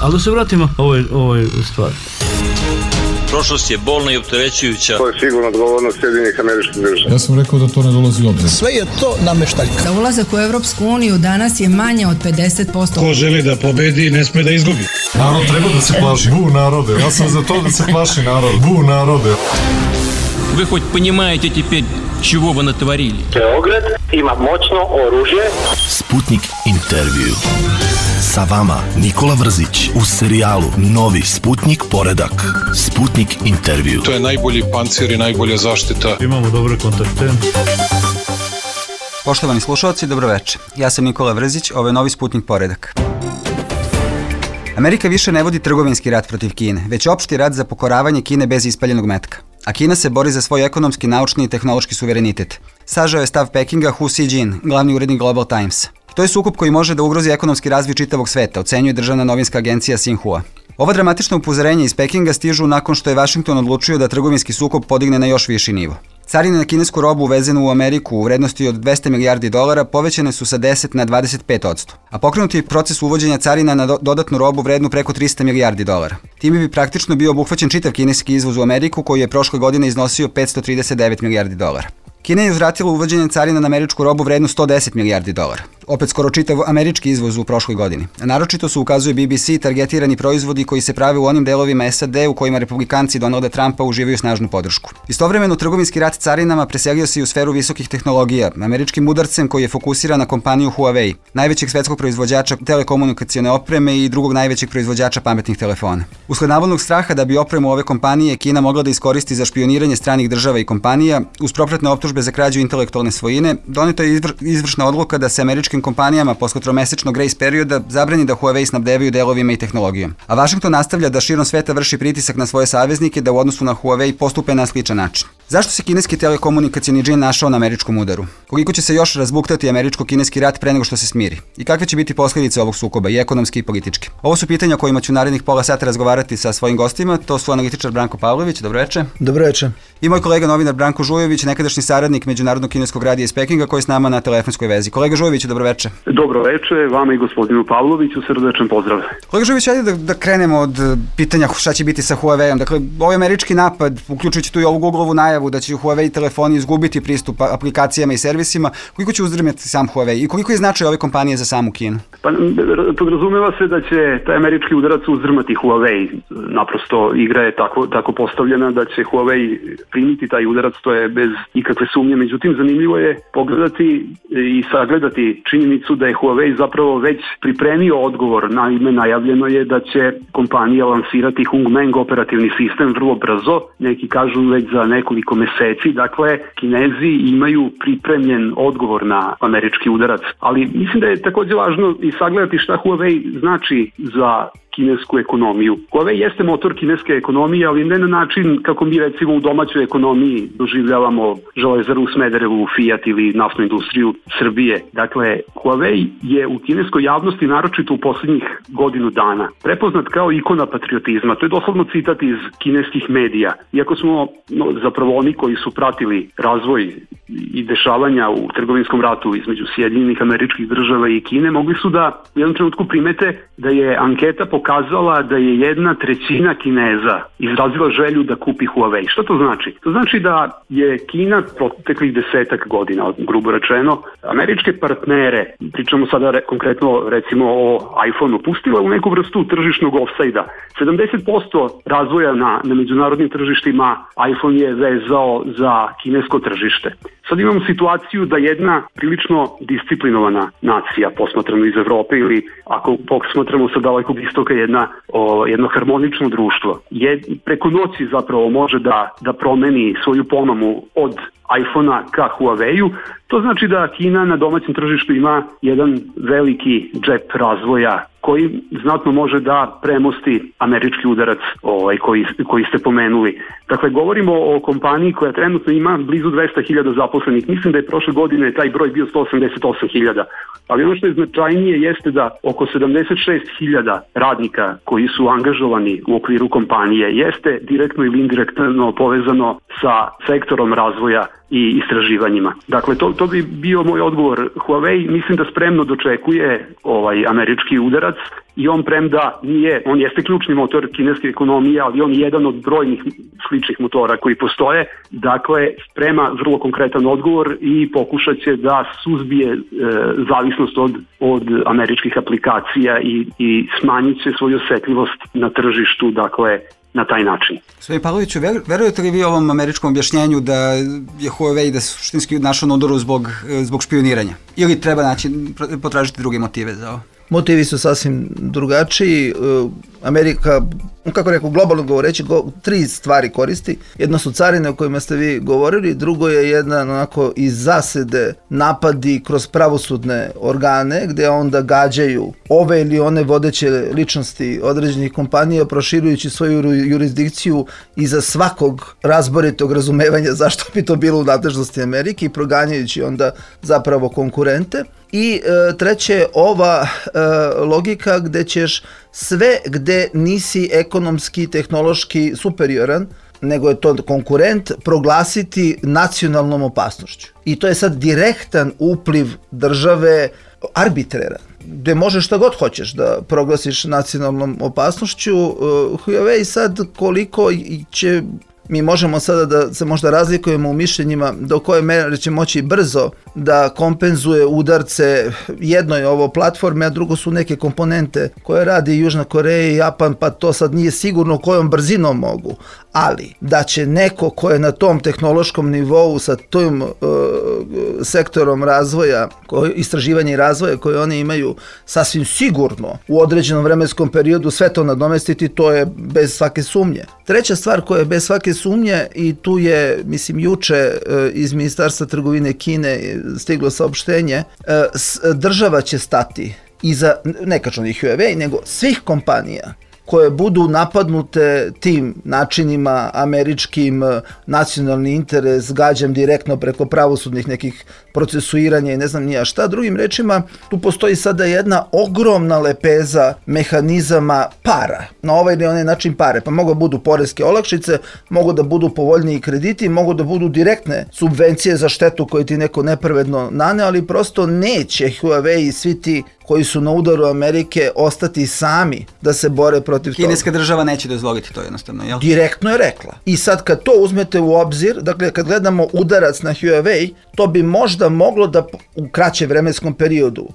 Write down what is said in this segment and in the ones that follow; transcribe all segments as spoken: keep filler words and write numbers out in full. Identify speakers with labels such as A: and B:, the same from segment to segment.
A: Ali da se vratimo ovoj, ovoj stvari.
B: Prošlost je bolna i opterećujuća.
C: To je sigurno odgovornost Sjedinjenih Američkih Država.
D: Ja sam rekao da to ne dolazi u obzir.
E: Sve je to nameštaljka.
F: Da ulazak u Evropsku uniju danas je manje od pedeset posto.
G: Ko želi da pobedi, ne sme da izgubi.
D: Narod treba da se plaši. Bu narode. Ja sam za to da se plaši narod. Bu narode.
H: Вы хоть понимаете теперь, чего вы натворили?
C: Beograd ima moćno oružje.
I: Sputnik intervju. Sa vama Nikola Vrzić u serijalu Novi Sputnik poredak. Sputnik intervju.
G: To je najbolji pancir i najbolja zaštita.
A: Imamo dobre kontakte.
J: Poštovani slušalci, dobroveče. Ja sam Nikola Vrzić, ovo je Novi Sputnik poredak. Amerika više ne vodi trgovinski rat protiv Kine, već opšti rat za pokoravanje Kine bez ispaljenog metka. A Kina se bori za svoj ekonomski, naučni i tehnološki suverenitet. Sažao je stav Pekinga Hu Xijin, glavni urednik Global Timesa. To je sukob koji može da ugrozi ekonomski razvoj čitavog sveta, ocenjuje državna novinska agencija Xinhua. Ova dramatična upozorenja iz Pekinga stižu nakon što je Vašington odlučio da trgovinski sukob podigne na još viši nivo. Carine na kinesku robu uvezenu u Ameriku u vrednosti od dvesta milijardi dolara povećane su sa deset na dvadeset pet posto, a pokrenuti je proces uvođenja carina na do- dodatnu robu vrednu preko trista milijardi dolara. Time bi praktično bio obuhvaćen čitav kineski izvoz u Ameriku koji je prošle godine iznosio petsto trideset devet milijardi dolara. Kina je uzvratila uvođenje carina na američku robu vrednu sto deset milijardi dolara. Opet skoro čitav američki izvoz u prošloj godini. A naročito su, ukazuje B B C, targetirani proizvodi koji se prave u onim delovima S A D u kojima republikanci Donalda Trumpa uživaju snažnu podršku. Istovremeno, trgovinski rat carinama preselio se i u sferu visokih tehnologija, američkim udarcem koji je fokusiran na kompaniju Huawei, najvećeg svetskog proizvođača telekomunikacione opreme i drugog najvećeg proizvođača pametnih telefona. Usled navodnog straha da bi opremu ove kompanije Kina mogla da iskoristi za špioniranje stranih država i kompanija, uz propratne optužbe za krađu intelektualne svojine, doneta je izvr- izvršna odluka da se američkim kompanijama posle tromesečnog grace perioda zabrani da Huawei snabdevaju delovima i tehnologijom. A Vašington nastavlja da širom sveta vrši pritisak na svoje saveznike da u odnosu na Huawei postupe na sličan način. Zašto se kineski telekomunikacioni džin našao na američkom udaru? Koliko će se još razbuktati američko-kineski rat pre nego što se smiri? I kakve će biti posljedice ovog sukoba, i ekonomski i politički? Ovo su pitanja kojima ću narednih pola sata razgovarati sa svojim gostima. To su analitičar Branko Pavlović, dobroveče.
E: Dobroveče.
J: I moj kolega novinar Branko Žujović, nekadašnji saradnik Međunarodnog kineskog radija iz Pekinga, koji je s nama na telefonskoj vezi. Kolega Žujović, dobroveče.
K: Dobroveče, vama i gospodinu Pavloviću, srdečan pozdrav.
J: Kolega Žujović, ajde da, da krenemo od pitanja šta će biti sa Huawei-om. Dakle, ovaj američki napad, uključujući tu i ovu Google-ovu najavu da će Huawei telefoni izgubiti pristup aplikacijama i servisima, koliko će uzdrmati sam Huawei i koliko je značaj ove kompanije za samu Kinu?
K: Pa podrazumeva se da će taj američki udarac uzdrmati Huawei. Naprosto igra je tako, tako postavljena da će Huawei primiti taj udarac, to je bez ikakve sumnje. Međutim, zanimljivo je pogledati i sagledati činjenicu da je Huawei zapravo već pripremio odgovor. Naime, najavljeno je da će kompanija lansirati Hongmeng operativni sistem vrlo brzo, neki kažu već za nekoliko meseci. Dakle, Kinezi imaju pripremljen odgovor na američki udarac. Ali mislim da je također važno i sagledati šta Huawei znači za kinesku ekonomiju. Huawei jeste motor kineske ekonomije, ali ne na način kako mi recimo u domaćoj ekonomiji doživljavamo Železaru u Smederevu, Fiat ili naftnu industriju Srbije. Dakle, Huawei je u kineskoj javnosti, naročito u posljednjih godinu dana, prepoznat kao ikona patriotizma. To je doslovno citat iz kineskih medija. Iako smo no, zapravo oni koji su pratili razvoj i dešavanja u trgovinskom ratu između Sjedinjenih Američkih Država i Kine, mogli su da u jednom trenutku primete da je anketa pokazala da je jedna trećina Kineza izrazila želju da kupi Huawei. Što to znači? To znači da je Kina proteklih desetak godina, grubo rečeno, američke partnere, pričamo sada re, konkretno recimo o iPhoneu, pustila u neku vrstu tržišnog ofsajda. sedamdeset posto razvoja na, na međunarodnim tržištima iPhone je vezao za kinesko tržište. Sad imamo situaciju da jedna prilično disciplinovana nacija, posmatrano iz Evrope ili ako posmatramo sa dalekog istoka jedna, o, jedno harmonično društvo, je preko noći zapravo može da, da promeni svoju pomamu od iPhonea ka Huawei-u. To znači da Kina na domaćem tržištu ima jedan veliki džep razvoja koji znatno može da premosti američki udarac ovaj, koji, koji ste pomenuli. Dakle, govorimo o kompaniji koja trenutno ima blizu dvesta hiljada zaposlenih. Mislim da je prošle godine taj broj bio sto osamdeset osam hiljada. Ali ono što je značajnije jeste da oko sedamdeset šest hiljada radnika koji su angažovani u okviru kompanije jeste direktno ili indirektno povezano sa sektorom razvoja i istraživanjima. Dakle, to, to bi bio moj odgovor. Huawei mislim da spremno dočekuje ovaj američki udarac i on premda nije, on jeste ključni motor kineske ekonomije, ali on je jedan od brojnih sličnih motora koji postoje. Dakle, sprema vrlo konkretan odgovor i pokušat će da suzbije e, zavisnost od, od američkih aplikacija i, i smanjit će svoju osetljivost na tržištu, dakle, na taj način.
J: Gospodin Pavloviću, verujete li vi ovom američkom objašnjenju da je Huawei da suštinski našao na udaru zbog, zbog špioniranja? Ili treba naći, potražiti druge motive za ovo?
E: Motivi su sasvim drugačiji. Amerika, kako rekao, globalno govoreći, go, tri stvari koristi. Jedno su carine o kojima ste vi govorili, drugo je jedna onako iz zasede napadi kroz pravosudne organe, gde onda gađaju ove ili one vodeće ličnosti određenih kompanija, proširujući svoju jurisdikciju iza svakog razboritog razumevanja zašto bi to bilo u nadležnosti Amerike i proganjajući onda zapravo konkurente. I e, treće, ova e, logika gde ćeš sve gde nisi ekonomski, tehnološki superioran, nego je to konkurent, proglasiti nacionalnom opasnošću. I to je sad direktan upliv države, arbitraran, gde možeš šta god hoćeš da proglasiš nacionalnom opasnošću. Huawei sad koliko će... Mi možemo sada da se možda razlikujemo u mišljenjima do koje mere će moći brzo da kompenzuje udarce. Jedno je ovo platforme, a drugo su neke komponente koje radi Južna Koreja i Japan, pa to sad nije sigurno kojom brzinom mogu. Ali da će neko ko je na tom tehnološkom nivou sa tom uh, sektorom razvoja, koji, istraživanja i razvoja koje oni imaju, sasvim sigurno u određenom vremenskom periodu sve to nadomestiti, to je bez svake sumnje. Treća stvar koja je bez svake sumnje, i tu je, mislim, juče uh, iz Ministarstva trgovine Kine stiglo saopštenje, uh, država će stati iza, ne kažem ni Huawei, nego svih kompanija koje budu napadnute tim načinima američkim, nacionalni interes, gađam direktno preko pravosudnih nekih procesuiranja i ne znam nija šta. Drugim rečima, tu postoji sada jedna ogromna lepeza mehanizama para, na ovaj ili onaj način pare, pa mogu da budu poreske olakšice, mogu da budu povoljniji krediti, mogu da budu direktne subvencije za štetu koju ti neko nepravedno nane, ali prosto neće Huawei i svi ti koji su na udaru Amerike ostati sami da se bore protiv toga.
J: Kineska država neće dozvoliti to jednostavno, jel?
E: Direktno je rekla. I sad kad to uzmete u obzir, dakle kad gledamo udarac na Huawei, to bi možda moglo da u kraćem vremenskom periodu,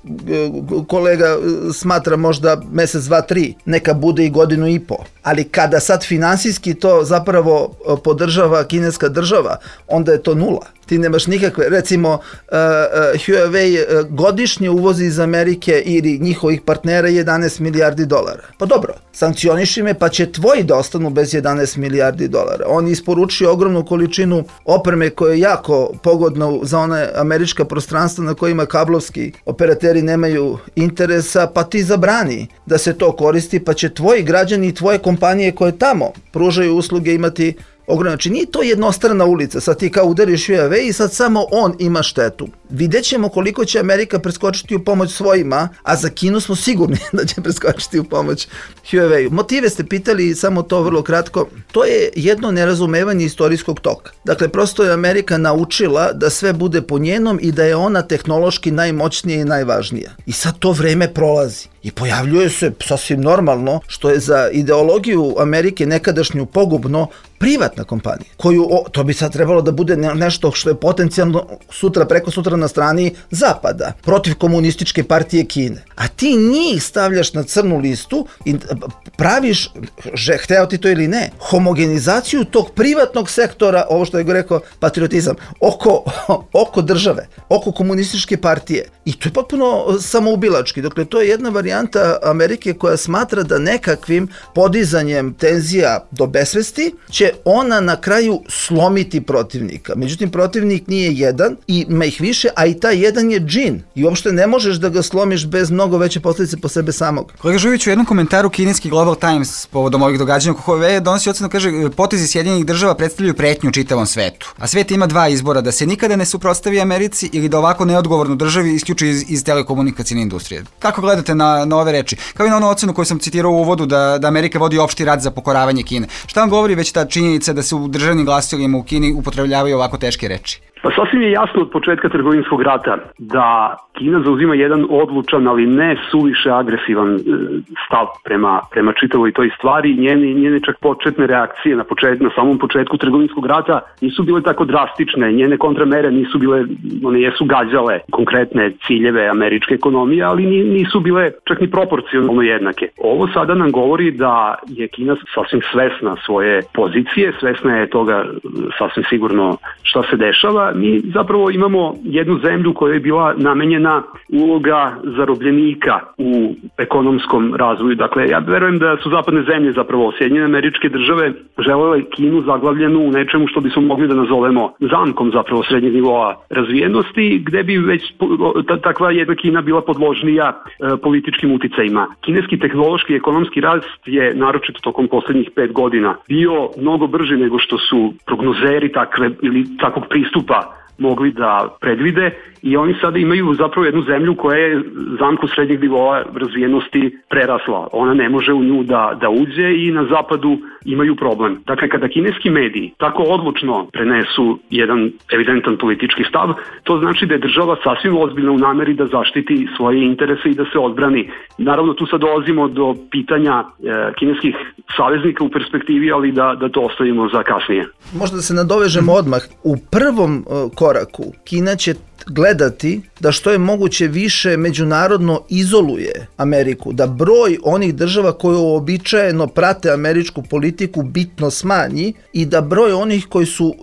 E: kolega smatra možda mesec, dva, tri, neka bude i godinu i po. Ali kada sad finansijski to zapravo podržava kineska država, onda je to nula. Ti nemaš nikakve, recimo uh, uh, Huawei uh, godišnje uvozi iz Amerike ili njihovih partnera jedanaest milijardi dolara. Pa dobro, sankcioniši me pa će tvoji da ostanu bez jedanaest milijardi dolara. On isporučuje ogromnu količinu opreme koja je jako pogodna za one američka prostranstva na kojima kablovski operateri nemaju interesa, pa ti zabrani da se to koristi, pa će tvoji građani i tvoje kompanije koje tamo pružaju usluge imati ogromno. Znači nije to jednostrana ulica, sad ti kao udariš Huawei i sad samo on ima štetu. Vidjet ćemo koliko će Amerika preskočiti u pomoć svojima, a za Kinu smo sigurni da će preskočiti u pomoć Huawei. Motive ste pitali, samo to vrlo kratko. To je jedno nerazumevanje istorijskog toka. Dakle, prosto je Amerika naučila da sve bude po njenom i da je ona tehnološki najmoćnija i najvažnija. I sad to vreme prolazi. I pojavljuje se sasvim normalno, što je za ideologiju Amerike nekadašnju pogubno, privatna kompanija, koju, o, to bi sad trebalo da bude nešto što je potencijalno sutra, preko sutra na strani Zapada, protiv komunističke partije Kine. A ti njih stavljaš na crnu listu i praviš, že, hteo ti to ili ne, homogenizaciju tog privatnog sektora, ovo što je go rekao patriotizam, oko, oko države, oko komunističke partije. I to je potpuno samoubilački. Dakle, to je jedna varijanta Amerike koja smatra da nekakvim podizanjem tenzija do besvesti će ona na kraju slomiti protivnika. Međutim, protivnik nije jedan i ima ih više, a i taj jedan je džin. I uopšte ne možeš da ga slomiš bez mnogo veće posljedice po sebe samog.
J: Kolega Žuvić, u jednom komentaru kineski Global Times povodom ovih događanja oko Huawei donosi ocenu, kaže, potezi Sjedinjenih država predstavljaju pretnju čitavom svetu. A svet ima dva izbora, da se nikada ne suprotstavi Americi ili da ovako neodgovorno državi isključi iz, iz telekomunikacijne industrije. Kako gledate na, na ove reči? Kao i na onu ocenu koju sam citirao u uvodu da, da Amerika vodi opšti rat za pokoravanje Kine. Šta vam govori već ta činjenica da se u državnim glasilima u Kini upotrebljavaju ovako teške reči?
K: Pa sasvim je jasno od početka trgovinskog rata da Kina zauzima jedan odlučan, ali ne suviše agresivan stav prema, prema čitavoj toj stvari. Njene, njene čak početne reakcije na, počet, na samom početku trgovinskog rata nisu bile tako drastične. Njene kontramere nisu bile, one jesu gađale konkretne ciljeve američke ekonomije, ali nisu bile čak ni proporcionalno jednake. Ovo sada nam govori da je Kina sasvim svesna svoje pozicije, svesna je toga sasvim sigurno šta se dešava. Mi zapravo imamo jednu zemlju koja je bila namenjena uloga zarobljenika u ekonomskom razvoju. Dakle, ja verujem da su zapadne zemlje, zapravo Sjedinjene Američke Države, želele Kinu zaglavljenu u nečemu što bismo mogli da nazovemo zamkom zapravo srednjeg nivoa razvijenosti, gde bi već takva jedna Kina bila podložnija e, političkim uticajima. Kineski tehnološki i ekonomski rast je, naročito tokom poslednjih pet godina, bio mnogo brži nego što su prognozeri takve ili takvog pristupa mogli da predvide i oni sada imaju zapravo jednu zemlju koja je zamku srednjeg nivoa razvijenosti prerasla. Ona ne može u nju da, da uđe i na zapadu imaju problem. Dakle, kada kineski mediji tako odlučno prenesu jedan evidentan politički stav, to znači da je država sasvim ozbiljna u nameri da zaštiti svoje interese i da se odbrani. Naravno, tu sad dolazimo do pitanja e, kineskih saveznika u perspektivi, ali da, da to ostavimo za kasnije.
E: Možda da se nadovežemo odmah. U prvom uh, koraku Kina će gledati da što je moguće više međunarodno izoluje Ameriku, da broj onih država koje uobičajeno prate američku politiku bitno smanji i da broj onih koji su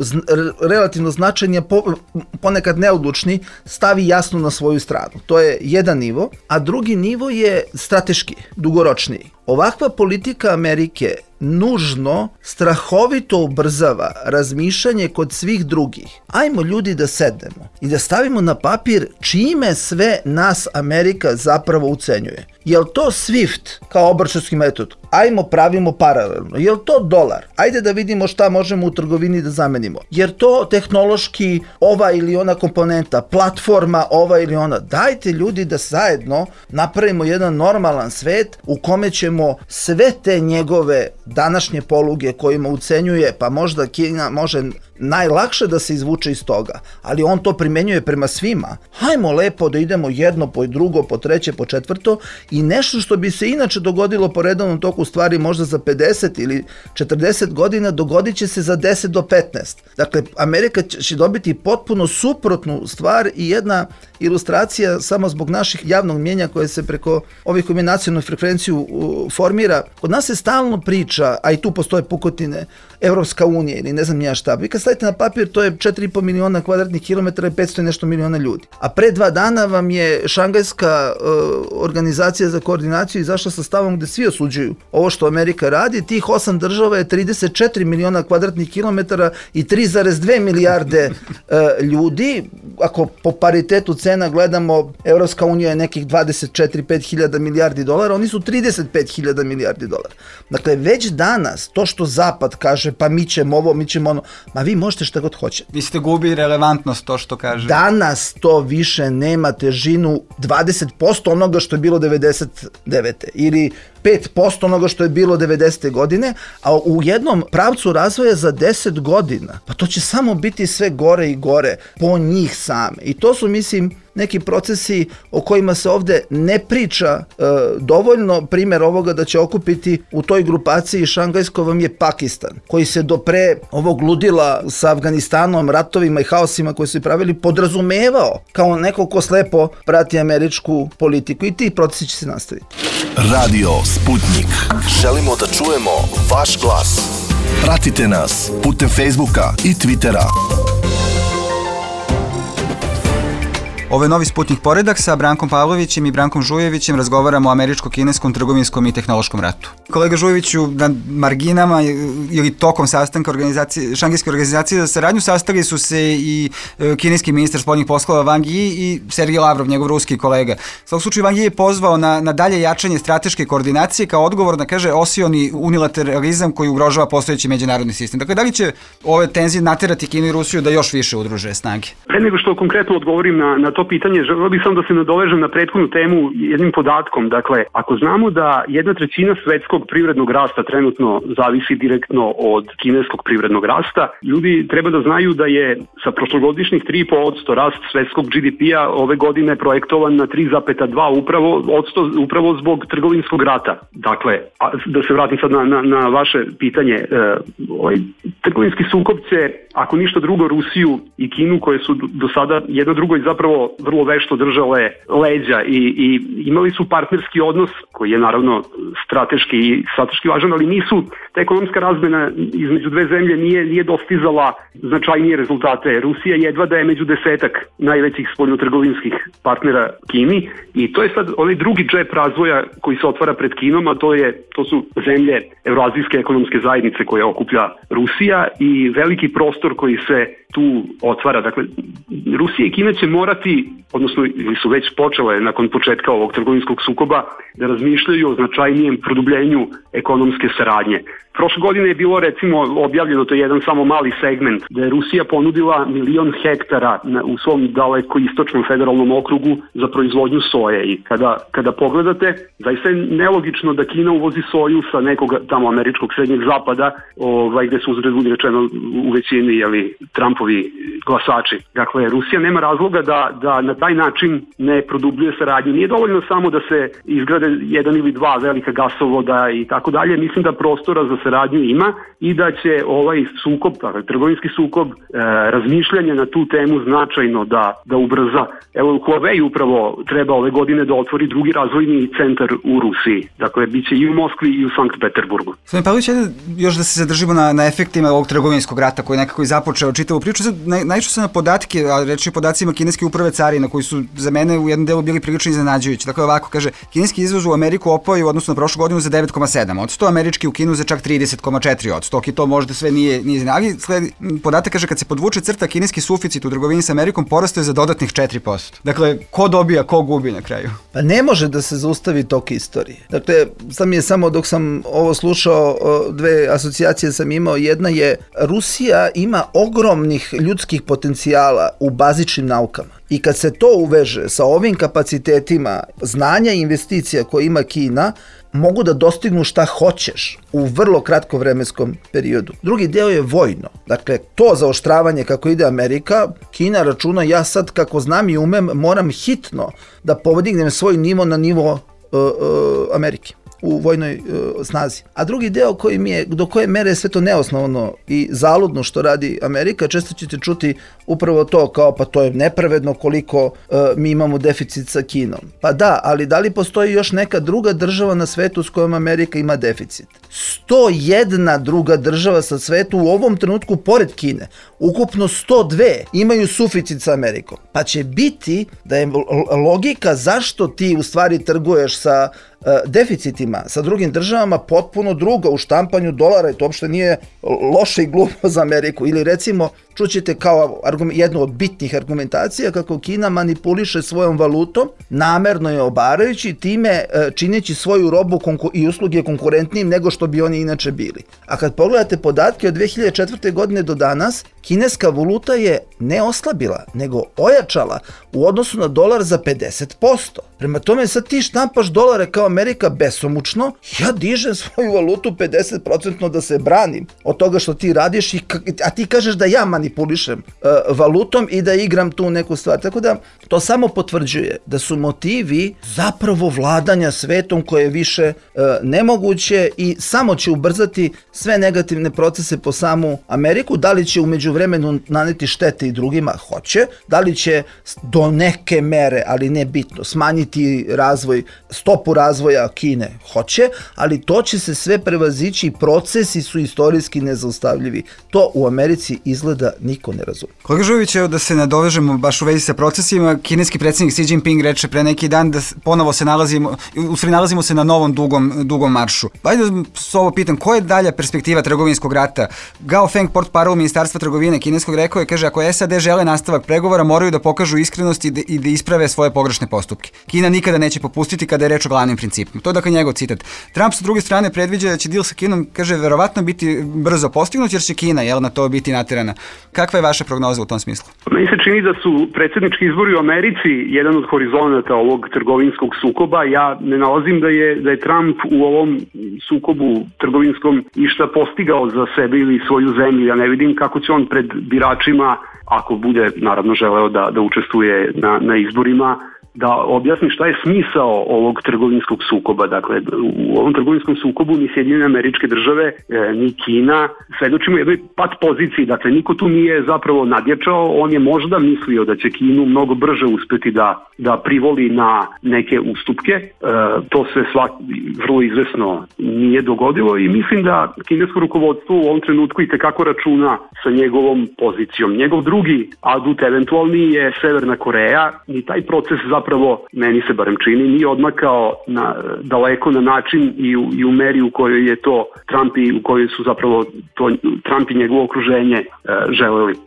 E: relativno značajni, po, ponekad neodlučni, stavi jasno na svoju stranu. To je jedan nivo, a drugi nivo je strateški, dugoročniji. Ovakva politika Amerike nužno, strahovito ubrzava razmišljanje kod svih drugih. Ajmo ljudi da sednemo i da stavimo na papir čime sve nas Amerika zapravo ucenjuje. Jel to SWIFT kao obračunski metod? Ajmo pravimo paralelno. Jel to dolar? Ajde da vidimo šta možemo u trgovini da zamenimo. Jer to tehnološki ova ili ona komponenta, platforma ova ili ona. Dajte ljudi da zajedno napravimo jedan normalan svet u kome ćemo sve te njegove današnje poluge kojima ucenjuje, pa možda Kina može najlakše da se izvuče iz toga, ali on to primenjuje prema svima. Hajmo lepo da idemo jedno po drugo, po treće, po četvrto i nešto što bi se inače dogodilo po redovnom toku stvari možda za pedeset ili četrdeset godina, dogodit će se za deset do petnaest. Dakle, Amerika će dobiti potpuno suprotnu stvar i jedna ilustracija samo zbog naših javnog mjenja koje se preko ovih koji imaju nacionalnu frekvenciju formira. Kod nas se stalno priča, a i tu postoje pukotine, Evropska unija ili ne znam nija šta. Vi kad stavite na papir, to je četiri i po miliona kvadratnih kilometara i petsto i nešto miliona ljudi. A pre dva dana vam je Šangajska uh, organizacija za koordinaciju izašla sa stavom gde svi osuđuju ovo što Amerika radi. Tih osam država je trideset četiri miliona kvadratnih kilometara i tri zarez dve milijarde uh, ljudi. Ako po paritetu cena gledamo, Evropska unija je nekih dvadeset četiri do pet hiljada milijardi dolara, oni su trideset pet hiljada milijardi dolara. Dakle, već danas to što Zapad kaže, pa mi ćemo ovo, mi ćemo ono, ma vi možete šta god hoćete.
J: Vi ste gubi relevantnost to što kaže.
E: Danas to više nema težinu dvadeset posto onoga što je bilo devedeset devete ili pet posto onoga što je bilo devedesete godine, a u jednom pravcu razvoja za deset godina, pa to će samo biti sve gore i gore po njih same. I to su, mislim, neki procesi o kojima se ovde ne priča e, dovoljno. Primjer ovoga da će okupiti u toj grupaciji šangajskoj vam je Pakistan, koji se do pre ovog ludila sa Afganistanom, ratovima i haosima koji su pravili podrazumevao kao neko ko slepo prati američku politiku i ti procesi će se nastaviti.
I: Radio Sputnik. Želimo da čujemo vaš glas. Pratite nas putem Facebooka i Twittera.
J: Ovo je Novi Sputnik poredak sa Brankom Pavlovićem i Brankom Žujevićem. Razgovaramo o američko-kineskom, trgovinskom i tehnološkom ratu. Kolega Žujeviću, na marginama ili tokom sastanka organizacije, šangajske organizacije za saradnju sastali su se i kineski ministar spoljnih poslova Wang Yi i Sergej Lavrov, njegov ruski kolega. U svakom slučaju Wang Yi je pozvao na, na dalje jačanje strateške koordinacije kao odgovor na, kaže, osioni unilateralizam koji ugrožava postojeći međunarodni sistem. Dakle, da li će ove tenzije naterati Kinu i Rusiju da još više udruže snage?
K: Pre nego što konkretno odgovorim na, na to to pitanje, želeo bih samo da se nadovežem na prethodnu temu jednim podatkom. Dakle, ako znamo da jedna trećina svetskog privrednog rasta trenutno zavisi direktno od kineskog privrednog rasta, ljudi treba da znaju da je sa prošlogodišnjih tri zarez pet posto rast svetskog G D P-a ove godine projektovan na tri zarez dva upravo, odsto, upravo zbog trgovinskog rata. Dakle, a, da se vratim sad na, na, na vaše pitanje, e, ovaj trgovinski sukob će, ako ništa drugo, Rusiju i Kinu, koje su do sada jedno drugo i zapravo vrlo vešto držale leđa i, i imali su partnerski odnos koji je naravno strateški i strateški važan, ali nisu, ta ekonomska razmena između dve zemlje nije, nije dostizala značajnije rezultate. Rusija jedva da je među desetak najvećih spoljnotrgovinskih partnera Kini i to je sad onaj drugi džep razvoja koji se otvara pred Kinom, a to je to su zemlje Evroazijske ekonomske zajednice koje okuplja Rusija i veliki prostor koji se tu otvara. Dakle, Rusija i Kina će morati, odnosno ili su već počele nakon početka ovog trgovinskog sukoba, da razmišljaju o značajnijem produbljenju ekonomske saradnje. Prošle godine je bilo recimo objavljeno, to je jedan samo mali segment, da je Rusija ponudila milion hektara na, u svom daleko istočnom federalnom okrugu za proizvodnju soje i kada, kada pogledate, zaista je nelogično da Kina uvozi soju sa nekog tamo američkog srednjeg zapada, ovaj, gde su uzred budi rečeno u većini jeli, Trumpovi glasači. Dakle, Rusija nema razloga da, da na taj način ne produbljuje saradnju. Nije dovoljno samo da se izgrade jedan ili dva velika gasovoda i tako dalje. Mislim da prostora za saradnju ima i da će ovaj sukob, dakle, trgovinski sukob, e, razmišljanje na tu temu značajno da, da ubrza. Evo, Huawei upravo treba ove godine da otvori drugi razvojni centar u Rusiji. Dakle, bit će i u Moskvi i u Sankt Peterburgu.
J: Gospodin Pavlović, još da se zadržimo na, na efektima ovog trgovinskog rata koji je nekako i započeo čitavu priču. Sad, naj, naišao sam na podatke, a reći o podacima kineske uprave carina koji su za mene u jednom delu bili prilično iznenađujući. Dakle, ovako, kaže, kineski izvoz u Ameriku opao je u odnosu na prošlu godinu za devet zarez sedam posto, američki u Kinu za čak trideset zarez četiri posto, i to možda sve nije, nije iznenađujuće. Ali sledi, podatak kaže, kad se podvuče crta, kineski suficit u trgovini sa Amerikom porastao je za dodatnih četiri posto. Dakle, ko dobija, ko gubi na kraju?
E: Pa ne može da se zaustavi tok istorije. Dakle, sam je samo dok sam ovo slušao, dve asocijacije sam imao. Jedna je, Rusija ima ogromnih ljudskih potencijala u bazičnim naukama. I kad se to uveže sa ovim kapacitetima znanja i investicija koje ima Kina, mogu da dostignu šta hoćeš u vrlo kratko vremenskom periodu. Drugi deo je vojno. Dakle, to zaoštravanje kako ide Amerika, Kina računa, ja sad kako znam i umem, moram hitno da podignem svoj nivo na nivo uh, uh, Amerike u vojnoj uh, snazi. A drugi deo koji mi je, do koje mere je sve to neosnovno i zaludno što radi Amerika, često ćete čuti upravo to kao pa to je nepravedno koliko uh, mi imamo deficit sa Kinom. Pa da, ali da li postoji još neka druga država na svetu s kojom Amerika ima deficit? sto jedna druga država sa svetu u ovom trenutku pored Kine, ukupno sto dve imaju suficit sa Amerikom. Pa će biti da je logika zašto ti u stvari trguješ sa deficitima sa drugim državama potpuno druga u štampanju dolara i to uopšte nije loše i glupo za Ameriku. Ili recimo, čućete kao argument, jednu od bitnih argumentacija kako Kina manipuliše svojom valutom, namerno je obarajući, time čineći svoju robu i usluge konkurentnijim nego što bi oni inače bili. A kad pogledate podatke od dve hiljade četvrte. godine do danas, kineska valuta je ne oslabila, nego ojačala u odnosu na dolar za pedeset posto. Prema tome sad ti štampaš dolare kao Amerika besomučno, ja dižem svoju valutu pedeset posto da se branim od toga što ti radiš, i, a ti kažeš da ja manipulišem uh, valutom i da igram tu neku stvar. Tako da to samo potvrđuje da su motivi zapravo vladanja svetom koje je više uh, nemoguće i samo će ubrzati sve negativne procese po samu Ameriku. Da li će u međuvremenu naneti štete i drugima? Hoće. Da li će do neke mere, ali ne bitno, smanjiti razvoj, stopu razvoja Kine? Hoće, ali to će se sve prevazići i procesi su istorijski nezaustavljivi. To u Americi izgleda niko ne razumije.
J: Kolega Žujović, evo da se nadovežemo baš u vezi sa procesima, kineski predsjednik Xi Jinping reče pre neki dan da ponovo se nalazimo, u stvari nalazimo se na novom dugom, dugom maršu. Ajde da s ovo pitam, koja je dalja perspektiva trgovinskog rata? Gao Feng, portparol Ministarstva trgovine kineskog, rekao je, kaže, ako S A D žele nastavak pregovora, moraju da pokažu iskrenost i da, i da isprave svoje pogrešne postupke. Kina Kina nikada neće popustiti kada je reč o glavnim principima. To je dakle njegov citat. Trump sa druge strane predviđa da će deal sa Kinom, kaže, verovatno biti brzo postignut jer će Kina, jel, na to biti naterana. Kakva je vaša prognoza u tom smislu?
K: Meni se čini da su predsjednički izbori u Americi jedan od horizonata ovog trgovinskog sukoba. Ja ne nalazim da je, da je Trump u ovom sukobu trgovinskom išta postigao za sebe ili svoju zemlju. Ja ne vidim kako će on pred biračima, ako bude naravno želeo da, da učestvuje na, na izborima, da objasni šta je smisao ovog trgovinskog sukoba. Dakle, u ovom trgovinskom sukobu ni Sjedinjene Američke Države, ni Kina, svedočimo jednoj pat poziciji. Dakle, niko tu nije zapravo nadjačao, on je možda mislio da će Kinu mnogo brže uspeti da, da privoli na neke ustupke. E, to se svak, vrlo izvesno nije dogodilo i mislim da kinesko rukovodstvo u ovom trenutku i tekako računa sa njegovom pozicijom. Njegov drugi adut eventualni je Severna Koreja i taj proces za zapravo, meni se barem čini, nije odmakao na, daleko na način i u, i u meri u kojoj je to Trump i u kojoj su zapravo to, Trump i njegovo okruženje e, želeli. E,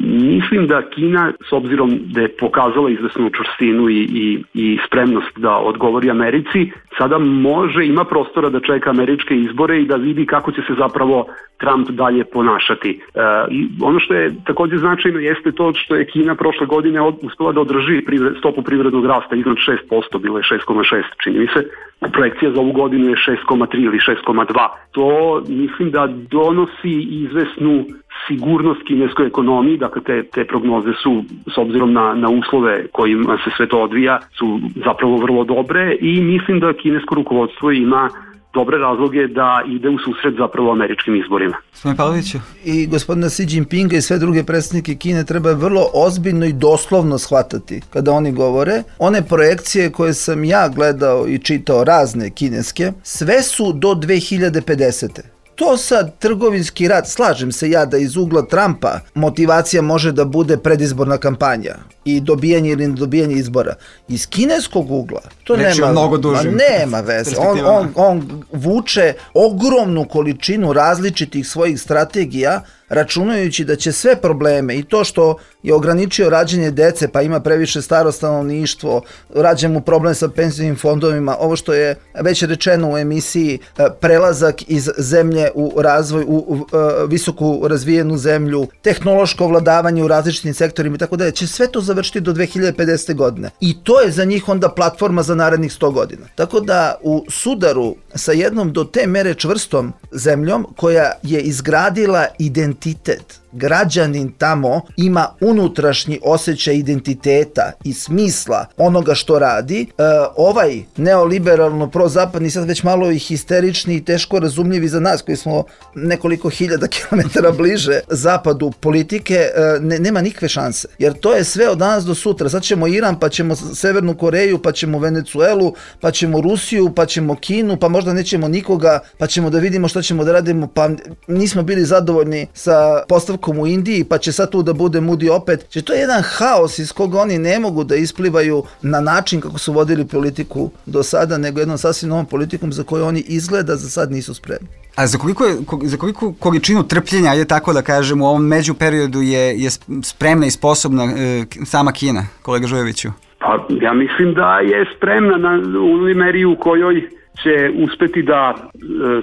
K: mislim da Kina, s obzirom da je pokazala izvesnu čvrstinu i, i, i spremnost da odgovori Americi, sada može, ima prostora da čeka američke izbore i da vidi kako će se zapravo Trump dalje ponašati. E, i ono što je također značajno jeste to što je Kina prošle godine od, uspela da održi privre, stopu privrednog rasta iznad šest posto, bilo je šest zarez šest, čini mi se. Projekcija za ovu godinu je šest zarez tri ili šest zarez dva. To mislim da donosi izvesnu sigurnost kineskoj ekonomiji, dakle te, te prognoze su, s obzirom na, na uslove kojima se sve to odvija, su zapravo vrlo dobre i mislim da kinesko rukovodstvo ima dobre razloge da ide u susret zapravo američkim izborima.
J: Gospodin Pavloviću.
E: I gospodina Xi Jinpinga i sve druge predsjednike Kine treba vrlo ozbiljno i doslovno shvatati kada oni govore. One projekcije koje sam ja gledao i čitao, razne kineske, sve su do dve hiljade pedesete. To sad trgovinski rat, slažem se ja da iz ugla Trumpa motivacija može da bude predizborna kampanja i dobijanje ili nedobijanje izbora. Iz kineskog ugla to
J: Reći
E: nema,
J: mnogo dužim
E: nema veze. On, on, on vuče ogromnu količinu različitih svojih strategija, računajući da će sve probleme i to što je ograničio rađenje dece pa ima previše staro stanovništvo, rađe mu problem sa penzijnim fondovima, ovo što je već rečeno u emisiji, prelazak iz zemlje u razvoj, u, u, u visoku razvijenu zemlju, tehnološko vladavanje u različitim sektorima i tako dalje, će sve to završiti do dve hiljade pedesete. godine. I to je za njih onda platforma za narednih sto godina. Tako da u sudaru sa jednom do te mere čvrstom zemljom koja je izgradila identitet, građanin tamo ima unutrašnji osjećaj identiteta i smisla onoga što radi. E, ovaj neoliberalno prozapadni, sad već malo i histerični i teško razumljivi za nas koji smo nekoliko hiljada kilometara bliže zapadu politike, e, ne, nema nikakve šanse. Jer to je sve od danas do sutra. Sad ćemo Iran, pa ćemo Severnu Koreju, pa ćemo Venecuelu, pa ćemo Rusiju, pa ćemo Kinu, pa možda nećemo nikoga, pa ćemo da vidimo što ćemo da radimo, pa nismo bili zadovoljni sa postavkom u Indiji, pa će sad tu da bude Moody opet. Če to je jedan haos iz koga oni ne mogu da isplivaju na način kako su vodili politiku do sada, nego jednom sasvim novom politikom za koju oni izgleda za sad nisu spremni.
J: A za koliko, je, za koliko količinu trpljenja, ajde tako da kažem, u ovom međuperiodu je, je spremna i sposobna e, sama Kina, kolega Žujeviću?
K: Pa ja mislim da je spremna na, u meri u kojoj će uspeti da e,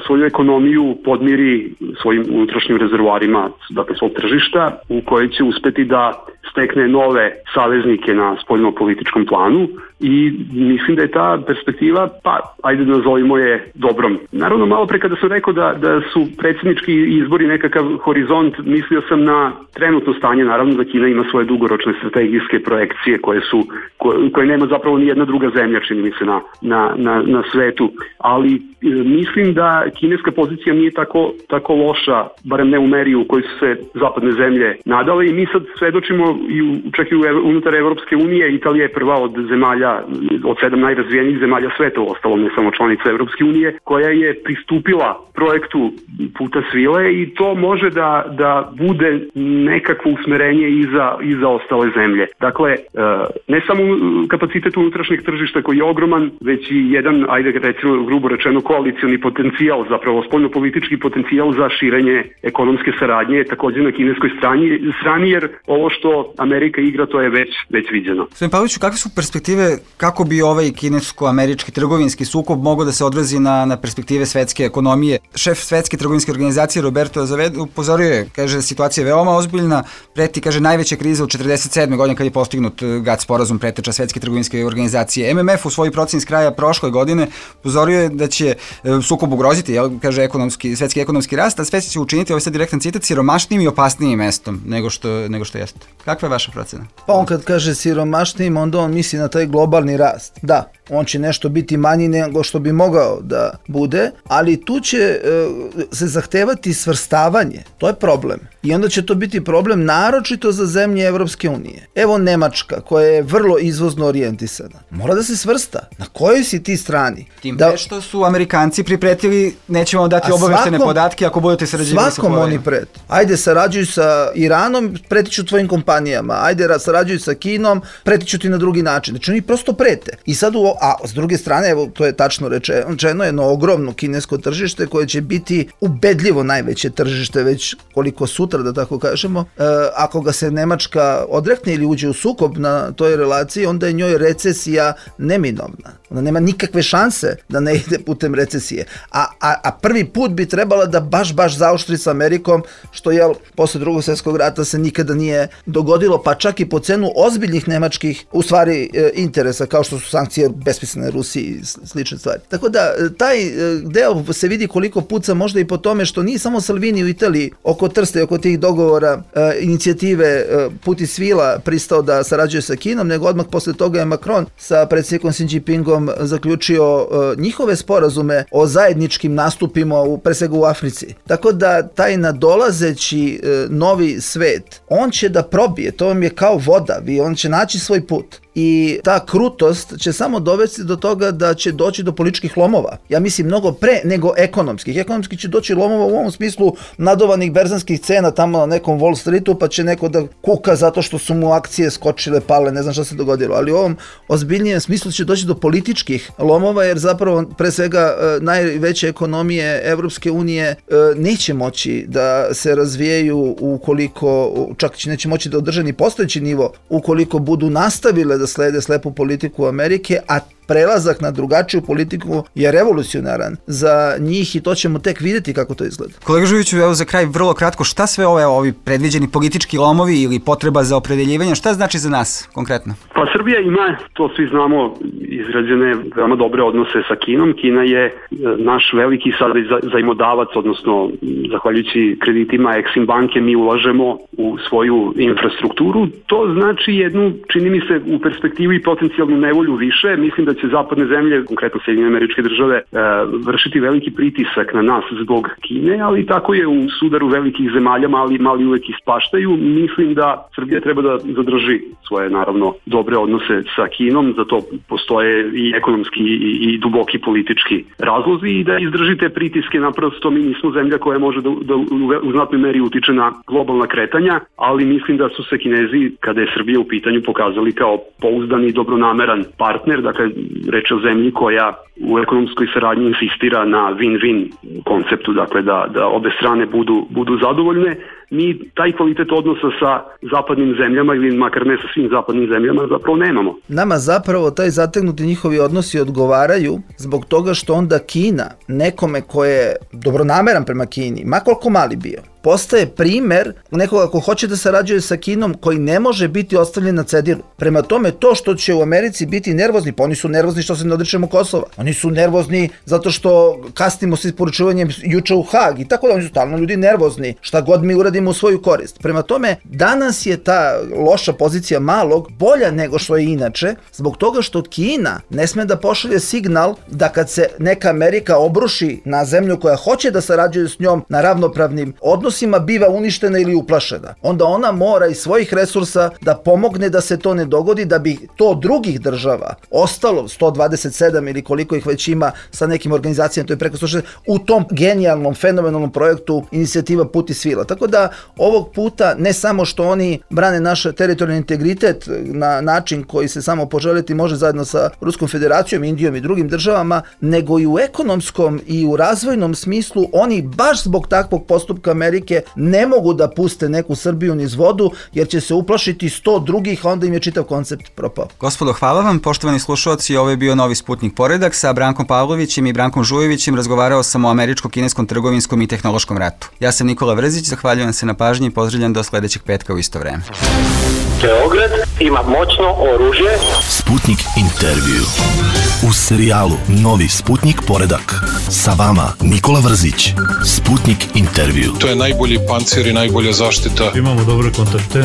K: svoju ekonomiju podmiri svojim unutrašnjim rezervoarima, dakle svog tržišta, u kojoj će uspeti da stekne nove saveznike na spoljno-političkom planu i mislim da je ta perspektiva, pa ajde da nazovimo je dobrom. Naravno, malo pre kada sam rekao da, da su predsjednički izbori nekakav horizont, mislio sam na trenutno stanje, naravno da Kina ima svoje dugoročne strategijske projekcije koje su, koje, koje nema zapravo ni jedna druga zemlja, čini mi se, na, na, na, na svetu, ali e, mislim da kineska pozicija nije tako, tako loša, barem ne u meri u kojoj su se zapadne zemlje nadale i mi sad svedočimo i u, čak i u, unutar Evropske unije. Italija je prva od zemalja, od sedam najrazvijenijih zemalja sveta, uostalom ne samo članica Evropske unije, koja je pristupila projektu Puta svile i to može da, da bude nekakvo usmerenje i za, i za ostale zemlje. Dakle, ne samo kapacitet unutrašnjeg tržišta koji je ogroman, već i jedan, ajde recimo reću, grubo rečeno koalicioni potencijal, zapravo spoljnopolitički potencijal za širenje ekonomske saradnje je također na kineskoj strani, strani jer ovo što Amerika igra to je već, već viđeno.
J: Gospodin Pavloviću, kakve su perspektive, kako bi ovaj kinesko-američki trgovinski sukob mogao da se odrazi na, na perspektive svetske ekonomije? Šef Svetske trgovinske organizacije Roberto Azevedo upozorio je, kaže, situacija je veoma ozbiljna, preti, kaže, najveća kriza u četrdeset sedme godine kad je postignut GATT sporazum, preteča Svetske trgovinske organizacije. M M F u svojoj proceni s kraja prošle godine upozorio je da će sukob ugroziti, jel, kaže, ekonomski, svetski ekonomski rast, a sve će učiniti, ovaj sad direktan citat, siromašnijim i opasnijim mestom nego što, nego što jeste. Kakva je vaša procena?
E: Pa on kad kaže siromašnijim, onda on misli na taj globalni rast. Da, on će nešto biti manji nego što bi mogao da bude, ali tu će e, se zahtevati svrstavanje. To je problem. I onda će to biti problem naročito za zemlje Evropske unije. Evo Nemačka, koja je vrlo izvozno orijentisana. Mora da se svrsta. Na kojoj si ti strani?
J: Tim
E: da,
J: pre što su Amerikanci pripretili, nećemo dati obaveštene podatke ako budete sarađivali sa Huawei.
E: Oni preti. Ajde sarađuj sa Iranom, pretiću tvojim kompanijama. Ajde sarađuj sa Kinom, pretiću ti na drugi način. Znači oni prosto prete. I sad, u, a s druge strane, evo, to je tačno rečeno, jedno ogromno kinesko tržište koje će biti ubedljivo najveće tržište već koliko sutra, da tako kažemo. E, ako ga se Nemačka odrekne ili uđe u sukob na toj relaciji, onda je njoj recesija neminovna. Ona nema nikakve šanse da ne ide putem recesije. A, a, a prvi put bi trebala da baš, baš zaoštri sa Amerikom, što je posle drugog svjetskog rata se nikada nije dogodilo, pa čak i po cenu ozbiljnih nemačkih, u stvari, e, interesa, kao što su sankcije besmislene Rusiji i slične stvari. Tako da, taj e, deo se vidi koliko puca možda i po tome što nije samo Salvini u Italiji oko Trsta i oko tih dogovora e, inicijative e, Puti svila pristao da sarađuje sa Kinom, nego odmah posle toga je Macron sa predsjednikom Xi Jinpingom zaključio e, njihove sporazume o zajedničkim nastupima u, pre svega u Africi. Tako da taj nadolazeći e, novi svet, on će da probije, to vam je kao voda, vi, on će naći svoj put. I ta krutost će samo dovesti do toga da će doći do političkih lomova. Ja mislim mnogo pre nego ekonomskih. Ekonomski će doći lomova u ovom smislu nadovanih berzanskih cena tamo na nekom Wall Streetu, pa će neko da kuka zato što su mu akcije skočile, pale, ne znam šta se dogodilo. Ali u ovom ozbiljnijem smislu će doći do političkih lomova, jer zapravo pre svega najveće ekonomije Evropske unije neće moći da se razvijaju ukoliko, čak neće moći da održe ni postojeći nivo, ukoliko budu nastavile da slede slepu politiku Amerike, a prelazak na drugačiju politiku je revolucionaran za njih i to ćemo tek vidjeti kako to izgleda.
J: Kolega Žujiću, evo za kraj vrlo kratko, šta sve ove ovi predviđeni politički lomovi ili potreba za opredeljivanje, šta znači za nas konkretno?
K: Pa Srbija ima, to svi znamo, izrađene veoma dobre odnose sa Kinom. Kina je naš veliki sad zajmodavac, odnosno zahvaljujući kreditima Exim banke mi ulažemo u svoju infrastrukturu. To znači jednu, čini mi se, u perspektivi potencijalnu nevolju više. Mislim da će zapadne zemlje, konkretno Sjedinjene Američke Države, e, vršiti veliki pritisak na nas zbog Kine, ali tako je u sudaru velikih zemalja, mali, mali uvek ispaštaju. Mislim da Srbija treba da zadrži svoje, naravno, dobre odnose sa Kinom, zato postoje i ekonomski i, i duboki politički razlozi i da izdržite pritiske, naprosto mi nismo zemlja koja može da, da u znatnoj meri utiče na globalna kretanja, ali mislim da su se Kinezi, kada je Srbija u pitanju, pokazali kao pouzdan i dobronameran partner, dakle reč o zemlji koja u ekonomskoj saradnji insistira na win-win konceptu, dakle da, da obe strane budu, budu zadovoljne. Mi taj kvalitet odnosa sa zapadnim zemljama ili makar ne sa svim zapadnim zemljama zapravo nemamo.
E: Nama zapravo taj zategnuti njihovi odnosi odgovaraju zbog toga što onda Kina nekome ko je dobronameran prema Kini, ma koliko mali bio, postaje primer nekoga ko hoće da sarađuje sa Kinom koji ne može biti ostavljen na cedilu. Prema tome, to što će u Americi biti nervozni, pa oni su nervozni što se ne odričemo Kosova. Oni su nervozni zato što kasnimo sa isporučivanjem juče u Hag i tako da oni su stalno ljudi nervozni, šta god mi uradimo u svoju korist. Prema tome, danas je ta loša pozicija malog bolja nego što je inače, zbog toga što Kina ne sme da pošalje signal da kad se neka Amerika obruši na zemlju koja hoće da sarađuje s njom na ravnopravnim odnosima, odnosima biva uništena ili uplašena, onda ona mora iz svojih resursa da pomogne da se to ne dogodi, da bi to drugih država ostalo sto dvadeset sedam ili koliko ih već ima sa nekim organizacijama, to je preko sto šezdeset, u tom genijalnom, fenomenalnom projektu inicijativa Put i svila. Tako da ovog puta ne samo što oni brane naš teritorijalni integritet na način koji se samo poželiti može zajedno sa Ruskom federacijom, Indijom i drugim državama, nego i u ekonomskom i u razvojnom smislu oni baš zbog takvog postupka Amerike ne mogu da puste neku Srbiju niz vodu, jer će se uplašiti sto drugih, a onda im je čitav koncept propao.
J: Gospodo, hvala vam, poštovani slušalci, ovo je bio Novi Sputnik Poredak. Sa Brankom Pavlovićem i Brankom Žujevićem razgovarao sam o američko-kineskom trgovinskom i tehnološkom ratu. Ja sam Nikola Vrzić, zahvaljujem se na pažnji i pozdravljam do sledećeg petka u isto vreme.
C: Beograd ima moćno oružje.
I: Sputnik intervju. U serijalu Novi Sputnik Poredak. Sa vama Nikola Vrzić. Sputnik intervju.
G: To je najbolji pancir i najbolja zaštita.
A: Imamo dobre kontakte.